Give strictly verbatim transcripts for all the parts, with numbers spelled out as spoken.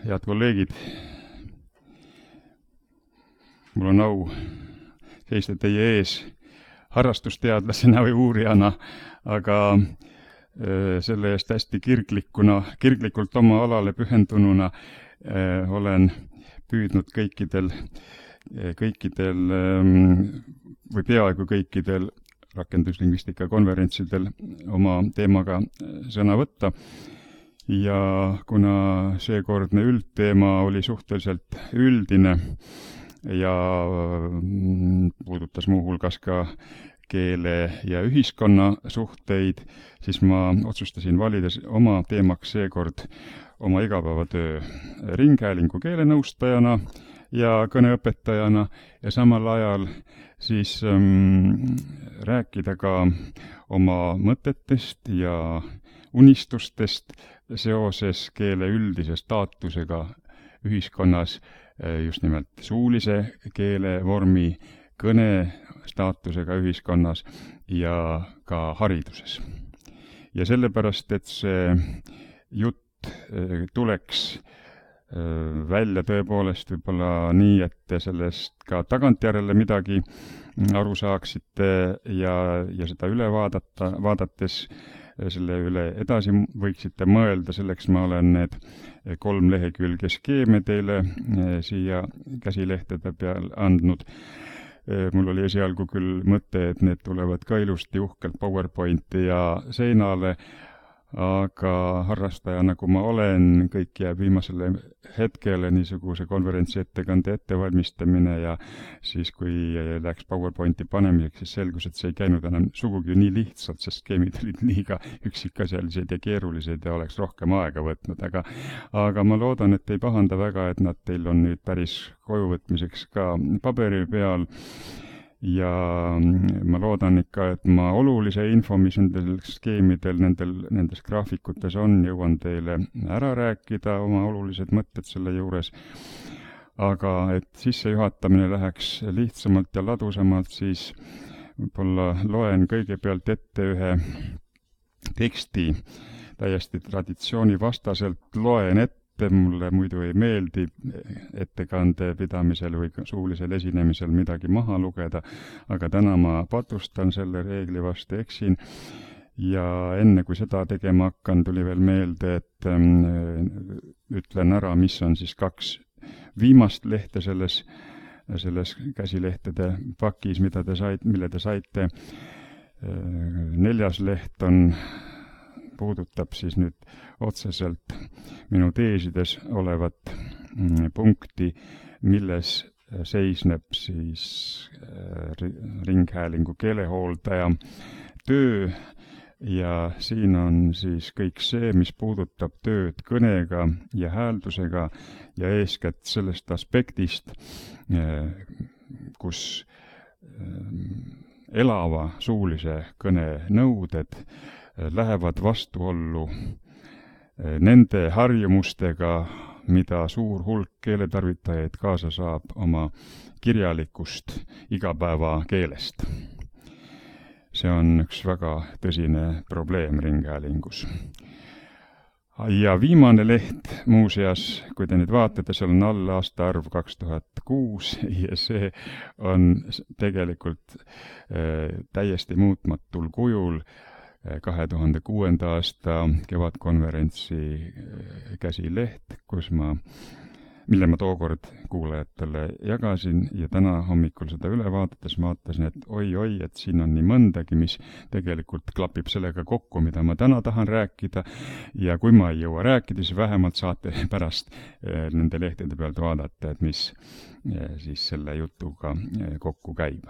Head kolleegid, mul on au seista teie ees harrastusteadlasena või uurijana, aga selle eest hästi kirglikuna, kirglikult oma alale pühendununa olen püüdnud kõikidel, kõikidel või peaaegu kõikidel rakenduslingvistika konverentsidel oma teemaga sõna võtta. Ja kuna seekordne üldteema oli suhteliselt üldine ja puudutas muuhulgas ka keele ja ühiskonna suhteid, siis ma otsustasin valida oma teemaks seekord oma igapäevatöö ringhäälingu keelenõustajana ja kõneõpetajana ja samal ajal siis ähm, rääkida ka oma mõtetest ja unistustest seoses keele üldise staatusega ühiskonnas, just nimelt suulise keelevormi kõne staatusega ühiskonnas ja ka hariduses. Ja sellepärast, et see jutt tuleks välja tõepoolest võib-olla nii, et te sellest ka tagantjärele midagi aru saaksite ja, ja seda üle vaadata, vaadates selle üle edasi võiksite mõelda, selleks ma olen need kolm lehekülge skeeme teile siia käsilehtede peal andnud. Mul oli esialgu küll mõte, et need tulevad ka ilusti uhkelt PowerPointi ja seinale, aga harrastaja, nagu ma olen, kõik jääb viimasele hetkele niisuguse konverentsi ettekande ettevalmistamine ja siis, kui läks PowerPointi panemiseks, siis selgus, et see ei käinud enam sugugi nii lihtsalt, sest skeemid olid liiga üksikasjalised ja keerulised ja oleks rohkem aega võtnud, aga, aga ma loodan, et ei pahanda väga, et nad teil on nüüd päris kojuvõtmiseks ka paberi peal. Ja ma loodan ikka, et ma olulise info, mis nendel skeemidel, nendel, nendes graafikutes on, jõuan teile ära rääkida, oma olulised mõtted selle juures. Aga et sissejuhatamine läheks lihtsamalt ja ladusamalt, siis võib-olla loen kõigepealt ette ühe teksti, täiesti traditsioonivastaselt loen ette. Mulle muidu ei meeldi ettekande pidamisel või suulisel esinemisel midagi maha lugeda, aga täna ma patustan selle reegli vastu, eksin. Ja enne kui seda tegema hakkan, tuli veel meelde, et ähm, ütlen ära, mis on siis kaks viimast lehte selles, selles käsilehtede pakis, mida te saite, mille te saite. Neljas leht on puudutab siis nüüd otseselt minu teesides olevat punkti, milles seisneb siis ringhäälingu keelehooldaja töö ja siin on siis kõik see, mis puudutab tööd kõnega ja hääldusega ja eeskätt sellest aspektist, kus elava suulise kõne nõuded lähevad vastuollu nende harjumustega, mida suur hulk keeletarvitajaid kaasa saab oma kirjalikust igapäevakeelest. See on üks väga tõsine probleem ringhäälingus. Ja viimane leht muuseas, kui te nüüd vaatate, seal on all aastaarv kaks tuhat kuus ja see on tegelikult täiesti muutmatul kujul kahe tuhande kuuenda aasta kevadkonverentsi käsileht, kus ma, mille ma tookord kuulajatele jagasin ja täna hommikul seda üle vaadates vaatasin, et oi-oi, et siin on nii mõndagi, mis tegelikult klapib sellega kokku, mida ma täna tahan rääkida ja kui ma ei jõua rääkida, siis vähemalt saate pärast nende lehtede pealt vaadata, et mis siis selle jutuga kokku käib.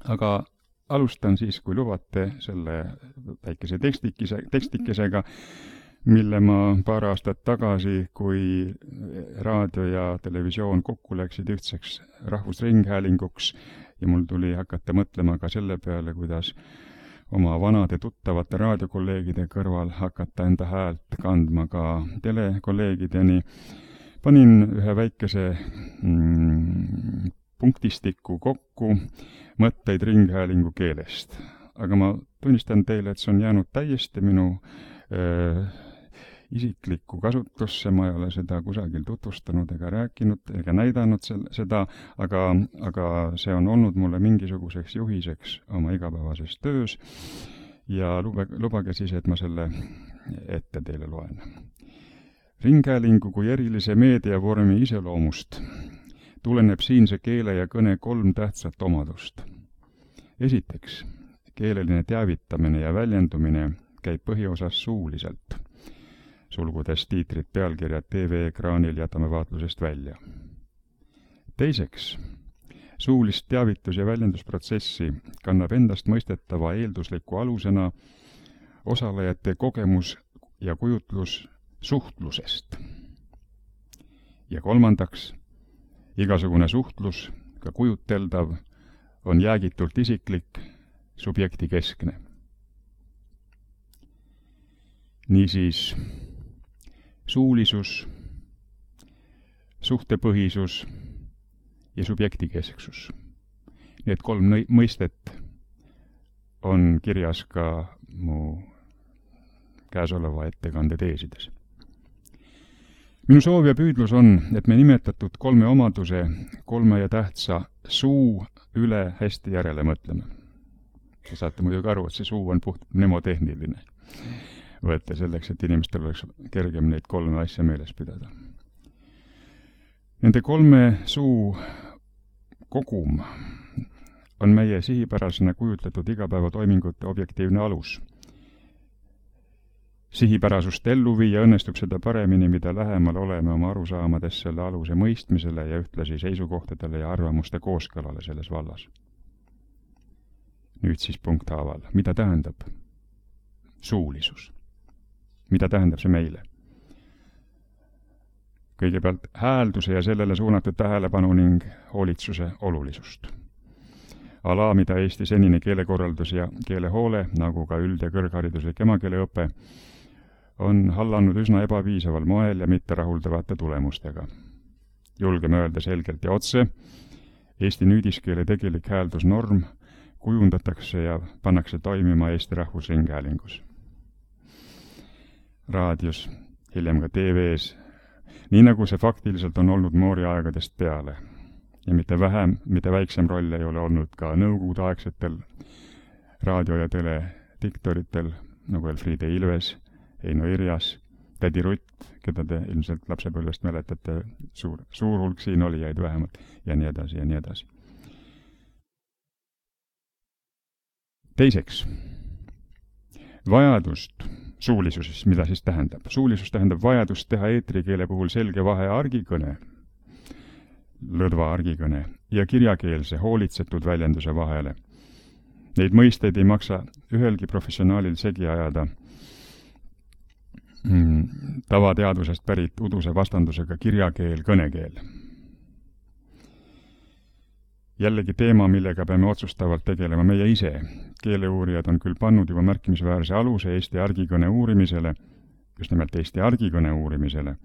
Aga alustan siis, kui lubate, selle väikese tekstikese, tekstikesega, mille ma paar aastat tagasi, kui raadio ja televisioon kokku läksid ühtseks rahvusringhäälinguks ja mul tuli hakata mõtlema ka selle peale, kuidas oma vanade tuttavate raadiokolleegide kõrval hakata enda häält kandma ka telekolleegideni, panin ühe väikese mm, punktistiku kokku mõtteid ringhäälingu keelest. Aga ma tunnistan teile, et see on jäänud täiesti minu äh, isiklikku kasutusse, ma ei ole seda kusagil tutvustanud ega rääkinud ega näidanud sel, seda, aga, aga see on olnud mulle mingisuguseks juhiseks oma igapäevases töös ja lubage, lubage siis, et ma selle ette teile loen. Ringhäälingu kui erilise meediavormi iseloomust tuleneb siinse keele ja kõne kolm tähtsat omadust. Esiteks, keeleline teavitamine ja väljendumine käib põhiosas suuliselt. Sulgudes tiitrid, pealkirjad T V-ekraanil jätame vaatlusest välja. Teiseks, suulist teavitus- ja väljendusprotsessi kannab endast mõistetava eeldusliku alusena osalejate kogemus ja kujutlus suhtlusest. Ja kolmandaks, igasugune suhtlus, ka kujuteldav, on jäägitult isiklik, subjekti keskne. Niisiis, suulisus, suhtepõhisus ja subjektikesksus. Need kolm mõistet on kirjas ka mu käesoleva ettekande teesides. Minu soov ja püüdlus on, et me nimetatud kolme omaduse, kolme ja tähtsa suu üle hästi järele mõtleme. Te saate muidugi aru, et see suu on puht mnemotehniline. Võtte selleks, et inimestel oleks kergem neid kolme asja meeles pidada. Nende kolme suu kogum on meie sihipärasena kujutletud igapäevatoimingute objektiivne alus. Sihipärasust ellu viia õnnestub seda paremini, mida lähemal oleme oma arusaamades selle aluse mõistmisele ja ühtlasi seisukohtadele ja arvamuste kooskõlale selles vallas. Nüüd siis punkthaaval. Mida tähendab suulisus? Mida tähendab see meile? Kõigepealt häälduse ja sellele suunatud tähelepanu ning hoolitsuse olulisust. Ala, mida Eesti senine keelekorraldus ja keelehoole, nagu ka üld- ja kõrghariduslik emakeeleõpe, on hallanud üsna ebapiisaval moel ja mitte rahuldavate tulemustega. Julgeme öelda selgelt ja otse, Eesti nüüdiskeele tegelik hääldusnorm kujundatakse ja pannakse toimima Eesti Rahvusringhäälingus. Raadios, hiljem ka T V-s, nii nagu see faktiliselt on olnud Moori aegadest peale. Ja mitte vähem, mitte väiksem roll ei ole olnud ka nõukogudeaegsetel raadio- ja telediktoritel, nagu Elfriede Ilves, Heino Irjas, tädi Rutt, keda te ilmselt lapsepõlvest mäletate, suur, suur hulk siin olijaid vähemalt, ja nii edasi ja nii edasi. Teiseks, vajadust suulisuses, mida siis tähendab? Suulisus tähendab vajadust teha eetrikeele puhul selge vahe argikõne, lõdva argikõne ja kirjakeelse hoolitsetud väljenduse vahele. Neid mõisteid ei maksa ühelgi professionaalil segi ajada mm, tavateadusest pärit uduse vastandusega kirjakeel, kõnekeel. Jällegi teema, millega peame otsustavalt tegelema meie ise. Keeleuurijad on küll pannud juba märkimisväärse aluse Eesti argikõne uurimisele, just nimelt Eesti argikõne uurimisele,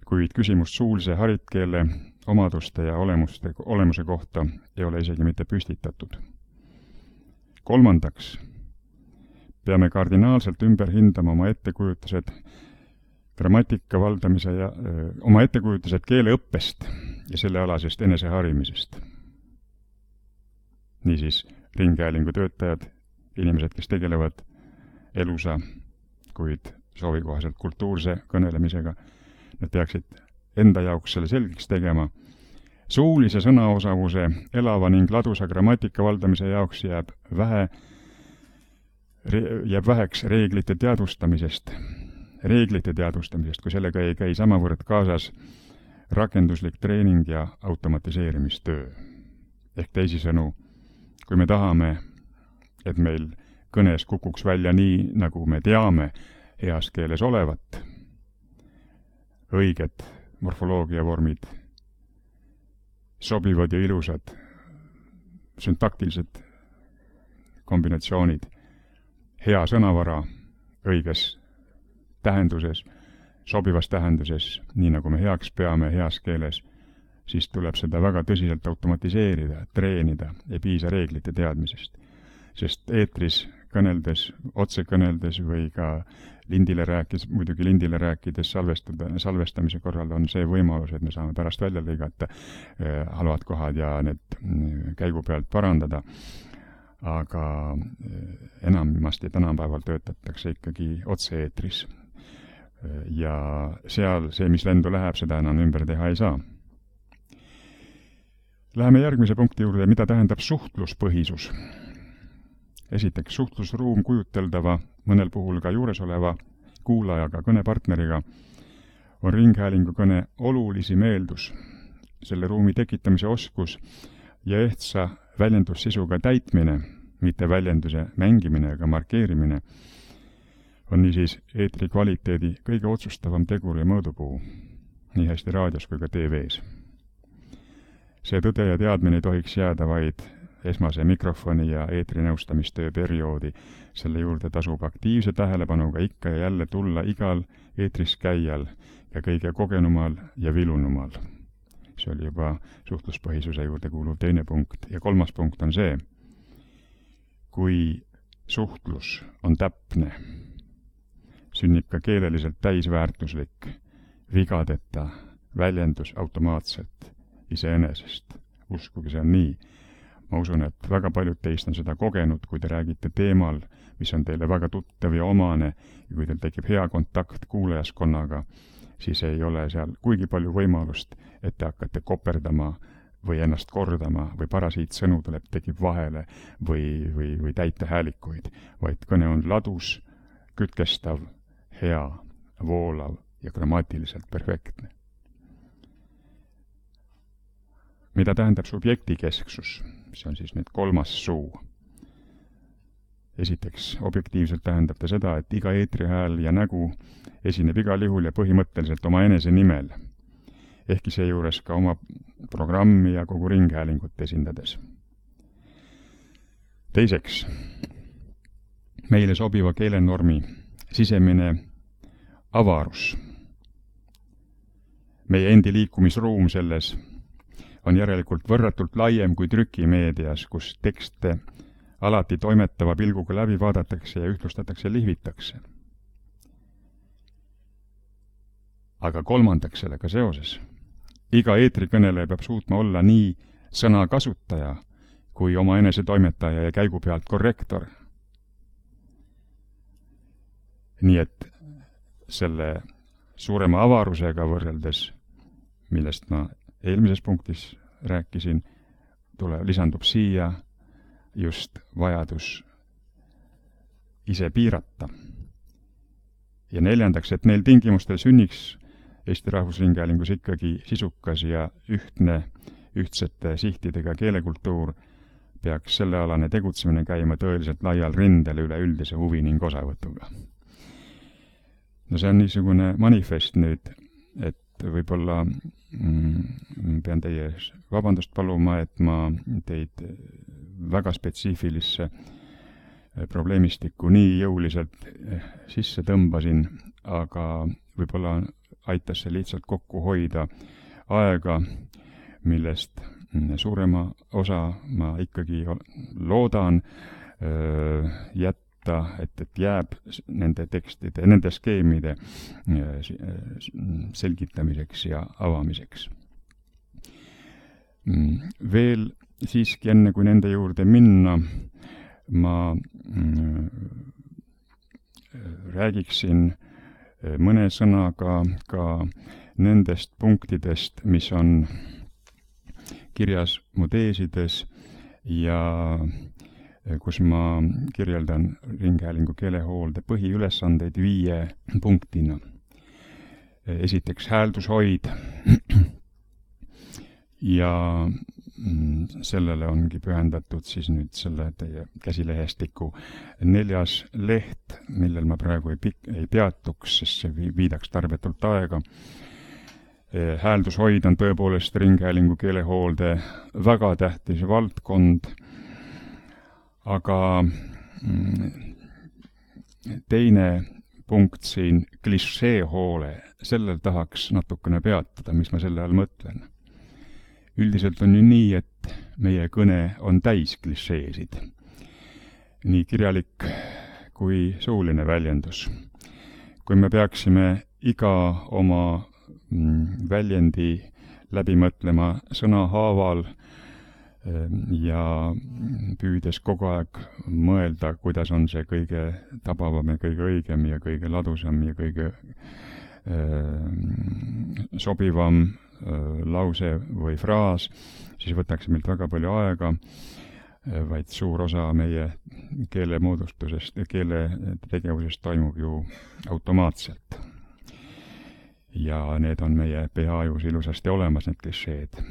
kuid küsimust suulise haritkeele omaduste ja olemuste, olemuse kohta ei ole isegi mitte püstitatud. Kolmandaks, peame kardinaalselt ümber hindama oma ettekujutused grammatika valdamise ja öö, oma ettekujutused keeleõppest ja sellealasest eneseharimisest. Niisiis, ringhäälingu töötajad, inimesed, kes tegelevad elusa, kuid soovikohaselt kultuurse kõnelemisega, nad peaksid enda jaoks selle selgeks tegema. Suulise sõnaosavuse elava ning ladusa grammatika valdamise jaoks jääb, vähe, jääb väheks reeglite teadvustamisest, reeglite teadvustamisest, kui sellega ei käi samavõrd kaasas rakenduslik treening ja automatiseerimistöö. Ehk teisisõnu, kui me tahame, et meil kõnes kukuks välja nii, nagu me teame heas keeles olevat, õiged morfoloogiavormid, sobivad ja ilusad süntaktilised kombinatsioonid, hea sõnavara õiges tähenduses, sobivas tähenduses, nii nagu me heaks peame heas keeles, siis tuleb seda väga tõsiselt automatiseerida, treenida, ei piisa reeglite teadmisest. Sest eetris kõneldes, otse kõneldes või ka lindile rääkis, muidugi lindile rääkides salvestada, salvestamise korral on see võimalus, et me saame pärast välja lõigata halvad kohad ja need käigu pealt parandada. Aga enamasti tänapäeval töötatakse ikkagi otse-eetris. Ja seal see, mis lendu läheb, seda enam ümber teha ei saa. Läheme järgmise punkti juurde, mida tähendab suhtluspõhisus. Esiteks, suhtlusruum kujuteldava, mõnel puhul ka juuresoleva kuulajaga, kõnepartneriga on ringhäälingu kõne olulisim eeldus, selle ruumi tekitamise oskus ja ehtsa väljendussisuga täitmine, mitte väljenduse mängimine ega markeerimine, on niisiis eetri kvaliteedi kõige otsustavam tegur ja mõõdupuu, nii hästi raadios kui ka T V-s. See tõde ja teadmine ei tohiks jääda vaid esmase mikrofoni ja eetrinõustamistöö perioodi. Selle juurde tasub aktiivse tähelepanuga ikka ja jälle tulla igal eetris käijal ja kõige kogenumal ja vilunumal. See oli juba suhtluspõhisuse juurde kuuluv teine punkt. Ja kolmas punkt on see, kui suhtlus on täpne, sünnib ka keeleliselt täisväärtuslik, vigadeta väljendus automaatselt iseenesest. Uskuge, see on nii. Ma usun, et väga paljud teist on seda kogenud, kui te räägite teemal, mis on teile väga tuttav ja omane, ja kui teil tekib hea kontakt kuulajaskonnaga, siis ei ole seal kuigi palju võimalust, et te hakkate koperdama või ennast kordama või parasiitsõnu tuleb, tekib vahele või, või, või täita häälikuid, vaid kõne on ladus, kütkestav, hea, voolav ja grammatiliselt perfektne. Mida tähendab subjektikesksus? See on siis nüüd kolmas suu. Esiteks, objektiivselt tähendab ta seda, et iga eetrihääl ja nägu esineb igal juhul ja põhimõtteliselt oma enese nimel, ehkki seejuures ka oma programmi ja kogu ringhäälingut esindades. Teiseks, meile sobiva keelenormi sisemine avarus. Meie endi liikumisruum selles on järelikult võrratult laiem kui trükimeedias, kus tekste alati toimetava pilguga läbi vaadatakse ja ühtlustatakse ja lihvitakse. Aga kolmandaks sellega seoses, iga eetrikõneleja peab suutma olla nii sõnakasutaja kui oma enese toimetaja ja käigu pealt korrektor. Nii et selle suurema avarusega võrreldes, millest ma eelmises punktis rääkisin, tule, lisandub siia just vajadus ise piirata. Ja neljandaks, et neil tingimustel sünniks Eesti Rahvusringhäälingus ikkagi sisukas ja ühtne, ühtsete sihtidega keelekultuur, peaks sellealane tegutsemine käima tõeliselt laial rindel üle üldise huvi ning osavõtuga. No see on niisugune manifest nüüd, et võib-olla mm, pean teie vabandust paluma, et ma teid väga spetsiifilisse probleemistikku nii jõuliselt sisse tõmbasin, aga võib-olla aitas see lihtsalt kokku hoida aega, millest suurema osa ma ikkagi loodan jätta, et, et jääb nende tekstide, nende skeemide selgitamiseks ja avamiseks. Veel siiski enne, kui nende juurde minna, ma räägiksin mõne sõnaga ka nendest punktidest, mis on kirjas mu teesides ja kus ma kirjeldan ringhäälingu keelehoolde põhiülesandeid viie punktina. Esiteks hääldushoid ja sellele ongi pühendatud siis nüüd selle teie käsilehestiku neljas leht, millel ma praegu ei, pik- ei peatuks, sest see viidaks tarbetult aega. Hääldushoid on tõepoolest ringhäälingu keelehoolde väga tähtis valdkond, aga teine punkt siin, klišeehoole, sellel tahaks natukene peatada, mis ma selle all mõtlen. Üldiselt on ju nii, et meie kõne on täis klišeesid. Nii kirjalik kui suuline väljendus. kui me peaksime iga oma väljendi läbi mõtlema sõna haaval ja püüdes kogu aeg mõelda, kuidas on see kõige tabavam ja kõige õigem ja kõige ladusam ja kõige sobivam lause või fraas, siis võtaks meilt väga palju aega, vaid suur osa meie keele moodustusest ja keele tegevusest toimub ju automaatselt. Ja need on meie peaajus ilusasti olemas, need klišeed.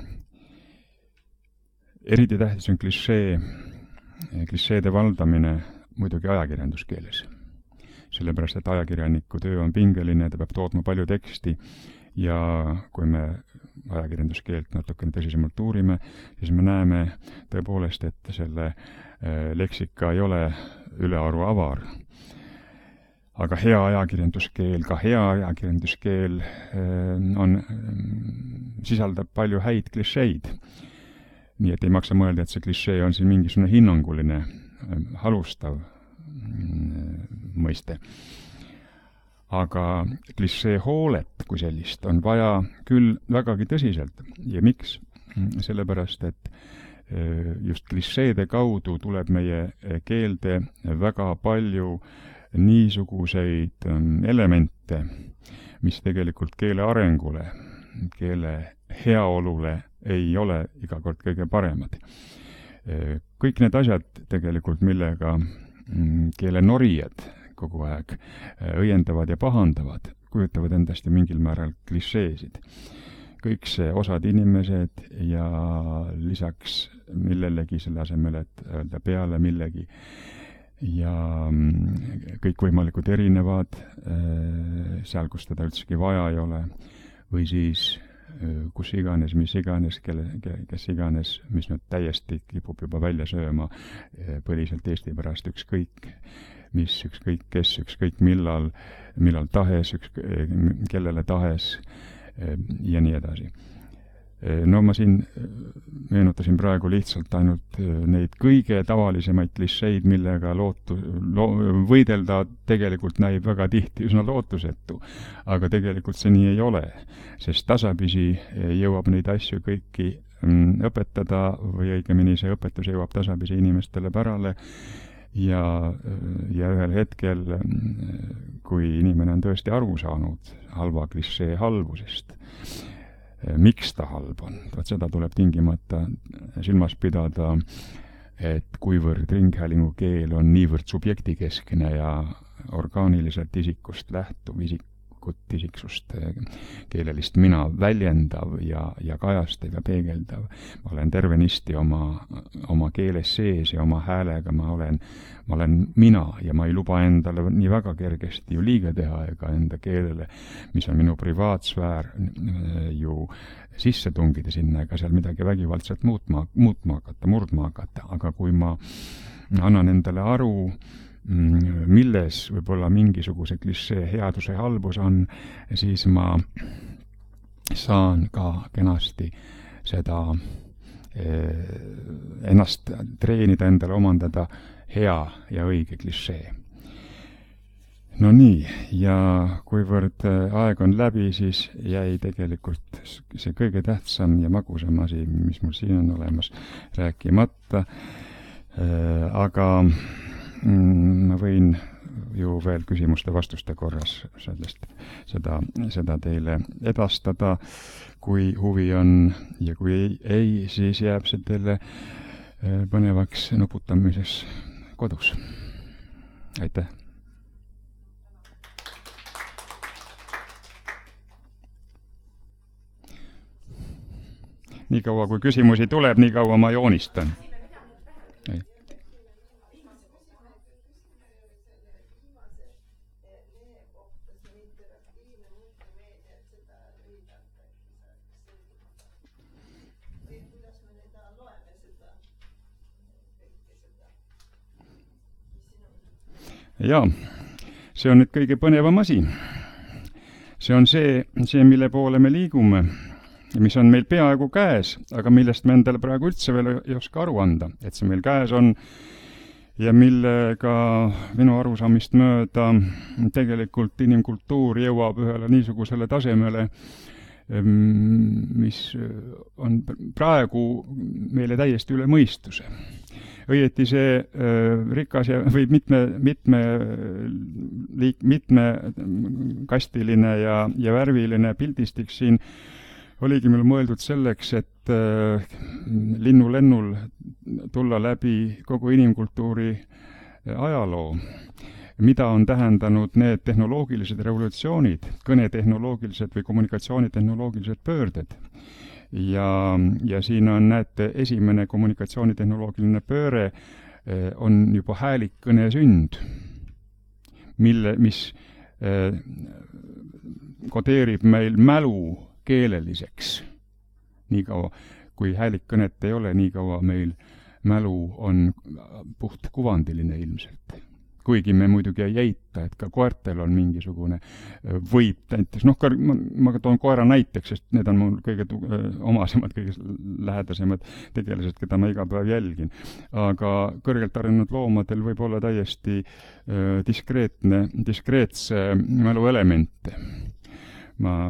Eriti tähtis on klišee, klišeede valdamine muidugi ajakirjanduskeeles. Sellepärast, et ajakirjaniku töö on pingeline, ta peab tootma palju teksti ja kui me ajakirjanduskeelt natukene tõsisemalt uurime, siis me näeme tõepoolest, et selle leksika ei ole ülearu avar. Aga hea ajakirjanduskeel, ka hea ajakirjanduskeel on, sisaldab palju häid klišeid. Nii et ei maksa mõelda, et see klišee on siin mingisugune hinnanguline, halustav mõiste. Aga klišee hoolet kui sellist on vaja küll vägagi tõsiselt. Ja miks? Sellepärast, et just klišeede kaudu tuleb meie keelde väga palju niisuguseid elemente, mis tegelikult keele arengule, keele heaolule ei ole iga kord kõige paremad. Kõik need asjad tegelikult, millega keele norijad kogu aeg õiendavad ja pahandavad, kujutavad endast ja mingil määral klišeesid. Kõik see osad inimesed ja lisaks millelegi selle asemel, et öelda peale millegi ja kõikvõimalikud erinevad, seal, kus teda üldsegi vaja ei ole, või siis kus iganes, mis iganes, kelle, kes iganes, mis nüüd täiesti kipub juba välja sööma põliselt Eesti pärast ükskõik, mis ükskõik kes, ükskõik millal, millal tahes, ükskõik, kellele tahes ja nii edasi. No ma siin meenutasin praegu lihtsalt ainult neid kõige tavalisemaid klišeid, millega lootu, lo, võidelda tegelikult näib väga tihti üsna lootusetu. Aga tegelikult see nii ei ole, sest tasapisi jõuab neid asju kõiki õpetada või õigemini see õpetus jõuab tasapisi inimestele pärale ja, ja ühel hetkel, kui inimene on tõesti aru saanud halva klišee halvusest, miks ta halb on. Vaat seda tuleb tingimata silmas pidada, et kuivõrd ringhäälingu keel on niivõrd subjektikeskne ja orgaaniliselt isikust lähtuv, isikut isiksust, keelelist mina väljendav ja, ja kajastav ja peegeldav. Ma olen tervenisti oma, oma keeles sees ja oma häälega ma olen, ma olen mina ja ma ei luba endale nii väga kergesti ju liiga teha ega enda keelele, mis on minu privaatsfäär, ju sisse tungida sinna ega seal midagi vägivaldselt muutma, muutma hakata, murdma hakata. Aga kui ma annan endale aru, milles võib-olla mingisuguse klišee headuse halbus on, siis ma saan ka kenasti seda eh, ennast treenida, endale omandada hea ja õige klišee. No nii, ja kuivõrd aeg on läbi, siis jäi tegelikult see kõige tähtsam ja magusam asi, mis mul siin on olemas, rääkimata. Eh, aga ma võin ju veel küsimuste-vastuste korras sellest, seda, seda teile edastada, kui huvi on ja kui ei, ei, siis jääb see teile põnevaks nuputamises kodus. Aitäh! Nii kaua, kui küsimusi tuleb, nii kaua ma joonistan. Jaa, see on nüüd kõige põnevam asi. See on see, see, mille poole me liigume, mis on meil peaaegu käes, aga millest me endale praegu üldse veel ei oska aru anda, et see meil käes on ja millega minu arusaamist mööda tegelikult inimkultuur jõuab ühele niisugusele tasemele, mis on praegu meile täiesti üle mõistuse. Õieti see rikas ja, või mitme, mitme, liik, mitmekastiline ja, ja värviline pildistik siin oligi meil mõeldud selleks, et linnulennul tulla läbi kogu inimkultuuri ajaloo, mida on tähendanud need tehnoloogilised revolutsioonid, kõnetehnoloogilised või kommunikatsioonitehnoloogilised pöörded. Ja, ja siin on, näete, esimene kommunikatsioonitehnoloogiline pööre on juba häälikkõne sünd, mille, mis eh, kodeerib meil mälu keeleliseks. Niikaua, kui häälikkõnet ei ole, niikaua meil mälu on puht kuvandiline ilmselt. Kuigi me muidugi ei eita, et ka koertel on mingisugune võib näiteks, noh, ma, ma toon koera näiteks, sest need on mul kõige tu- omasemad, kõige lähedasemad tegelased, keda ma iga päev jälgin. Aga kõrgelt arenenud loomadel võib olla täiesti äh, diskreetne, diskreetse mälu elemente. Ma,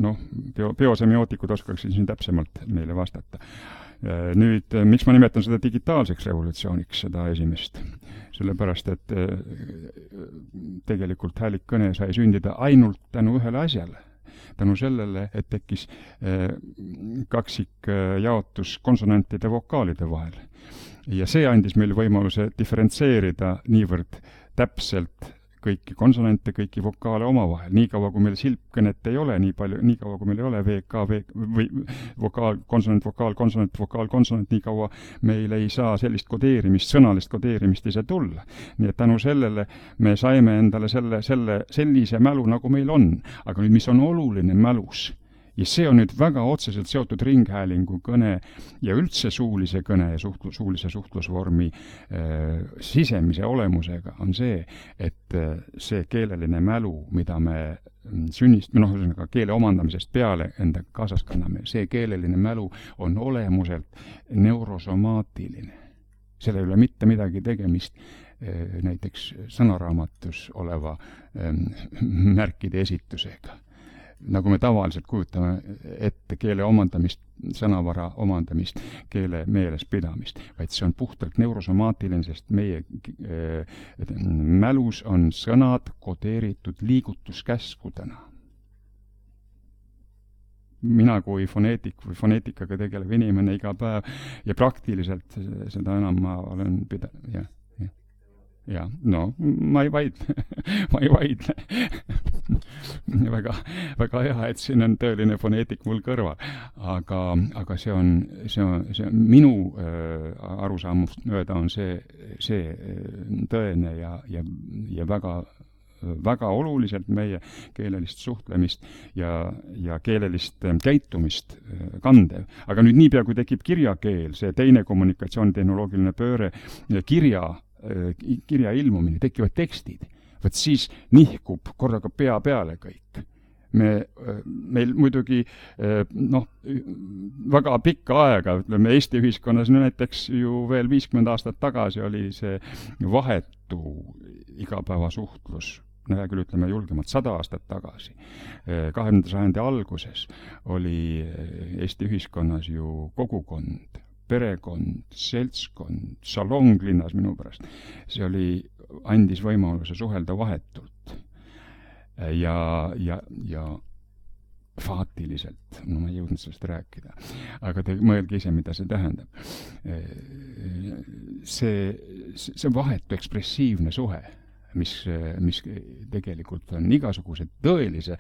noh, bio, biosemiotikud oskaksid siin täpsemalt meile vastata. Nüüd, miks ma nimetan seda digitaalseks revolutsiooniks, seda esimest? Sellepärast, et tegelikult häälikkõne sai sündida ainult tänu ühele asjale. Tänu sellele, et tekkis kaksik jaotus konsonantide vokaalide vahel. Ja see andis meile võimaluse diferentseerida niivõrd täpselt kõiki konsonante, kõiki vokaale omavahel. Niikaua, kui meil silpkõnet ei ole, nii palju, niikaua, kui meil ei ole V K, V, või vokaal, konsonant, vokaal, konsonant, vokaal, konsonant, niikaua meil ei saa sellist kodeerimist, sõnalist kodeerimist ise tulla. Nii et tänu sellele me saime endale selle, selle, sellise mälu, nagu meil on. Aga nüüd, mis on oluline mälus? Ja see on nüüd väga otseselt seotud ringhäälingu kõne ja üldse suulise kõne ja suhtlu, suulise suhtlusvormi äh, sisemise olemusega on see, et äh, see keeleline mälu, mida me sünnist, noh, keele omandamisest peale enda kaasas kanname, see keeleline mälu on olemuselt neurosomaatiline. Selle ei ole mitte midagi tegemist äh, näiteks sõnaraamatus oleva äh, märkide esitusega. Nagu me tavaliselt kujutame ette keele omandamist, sõnavara omandamist, keele meeles pidamist, vaid see on puhtalt neurosomaatiline, sest meie äh, mälus on sõnad kodeeritud liigutuskäskudena. Mina kui foneetik või foneetikaga tegelev inimene iga päev ja praktiliselt seda enam ma olen pidanud, jah. Ja, no, ma ei vaidle, ma ei vaidle. väga, väga hea, et siin on tõeline foneetik mul kõrval. Aga, aga see on, see on, see on minu äh, arusaamust mööda on see, see tõene ja, ja, ja väga, väga oluliselt meie keelelist suhtlemist ja, ja keelelist käitumist kandev. Aga nüüd niipea, kui tekib kirjakeel, see teine kommunikatsioonitehnoloogiline pööre, kirja kirja ilmumine, tekivad tekstid, võt siis nihkub korraga pea peale kõik. Me, meil muidugi noh, väga pikka aega, ütleme Eesti ühiskonnas näiteks ju veel viiskümmend aastat tagasi oli see vahetu igapäevasuhtlus, no hea küll ütleme julgemalt sada aastat tagasi. kahekümnenda sajandi alguses oli Eesti ühiskonnas ju kogukond, perekond, seltskond, salonglinnas minu pärast. See oli, andis võimaluse suhelda vahetult ja, ja, ja faatiliselt. No ma ei jõudnud sellest rääkida. Aga te mõelge ise, mida see tähendab. See, see vahetu ekspressiivne suhe, mis, mis tegelikult on igasuguse tõelise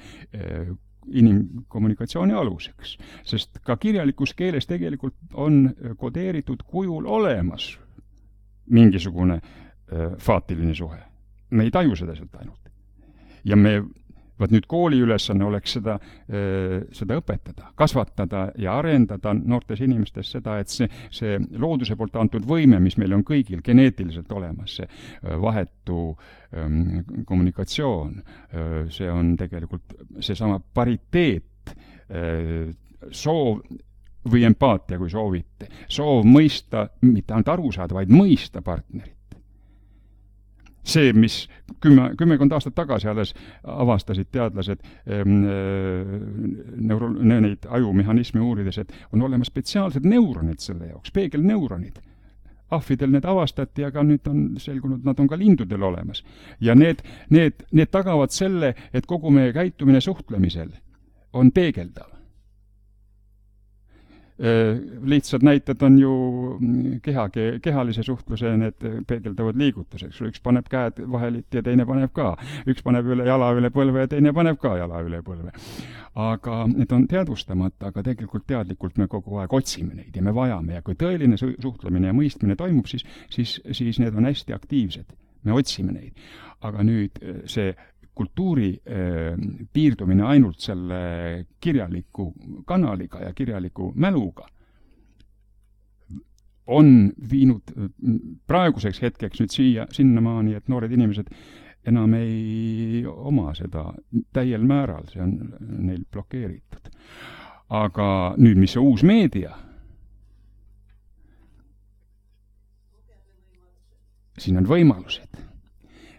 inimkommunikatsiooni aluseks, sest ka kirjalikus keeles tegelikult on kodeeritud kujul olemas mingisugune äh, faatiline suhe. Me ei taju seda sealt ainult. Ja me, vaat nüüd kooli ülesanne oleks seda, äh, seda õpetada, kasvatada ja arendada noortes inimestes seda, et see, see looduse poolt antud võime, mis meil on kõigil geneetiliselt olemas, see äh, vahetu kommunikatsioon, see on tegelikult seesama pariteet, soov või empaatia, kui soovite. Soov mõista, mitte ainult aru saada, vaid mõista partnerit. See, mis kümme, kümmekond aastat tagasi alles avastasid teadlased neuro, neid ajumehhanismi uurides, et on olemas spetsiaalsed neuronid selle jaoks, peegelneuronid. Ahvidel need avastati, aga nüüd on selgunud, nad on ka lindudel olemas. Ja need, need, need tagavad selle, et kogu meie käitumine suhtlemisel on peegeldav. Lihtsad näited on ju keha, kehalise suhtluse need peegeldavad liigutuseks. Üks paneb käed vahelit ja teine paneb ka. Üks paneb üle jala üle põlve ja teine paneb ka jala üle põlve. Aga need on teadvustamata, aga tegelikult teadlikult me kogu aeg otsime neid ja me vajame. Ja kui tõeline suhtlemine ja mõistmine toimub, siis, siis, siis need on hästi aktiivsed. Me otsime neid. Aga nüüd see kultuuri eh, piirdumine ainult selle kirjaliku kanaliga ja kirjaliku mäluga on viinud praeguseks hetkeks nüüd siia, sinnamaani, et noored inimesed enam ei oma seda täiel määral, see on neil blokeeritud. Aga nüüd, mis see uus meedia? Siin on võimalused.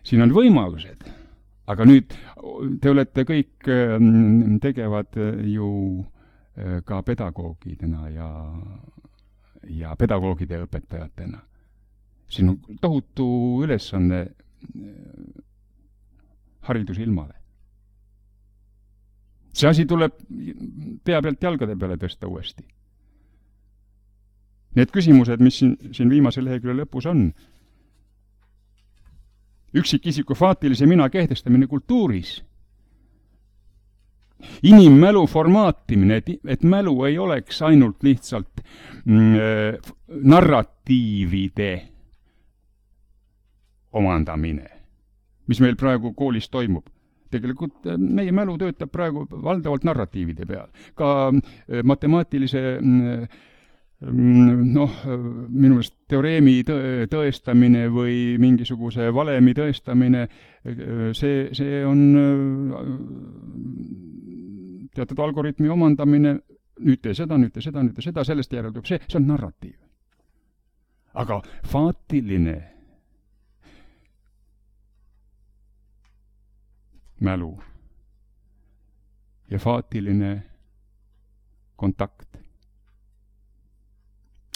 Siin on võimalused. Aga nüüd te olete kõik tegevad ju ka pedagoogidena ja, ja pedagoogide õpetajatena. Siin on tohutu ülesanne haridusilmale. See asi tuleb pea pealt jalgade peale tõsta uuesti. Need küsimused, mis siin, siin viimase lehekülje lõpus on, üksikisiku faatilise mina kehtestamine kultuuris. Inimmälu formaatimine, et, et mälu ei oleks ainult lihtsalt mm, narratiivide omandamine, mis meil praegu koolis toimub. Tegelikult meie mälu töötab praegu valdavalt narratiivide peal. Ka matemaatilise noh, minu meelest teoreemi tõestamine või mingisuguse valemi tõestamine, see, see on teatud algoritmi omandamine, nüüd tee seda, nüüd tee seda, nüüd tee seda, sellest järeldub see, see on narratiiv. Aga faatiline mälu ja faatiline kontakt,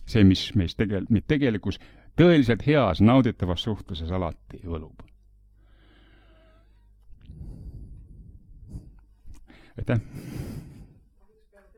see, mis meis tegel, tegelikus tõeliselt heas nauditavas suhtluses alati võlub. Aitäh!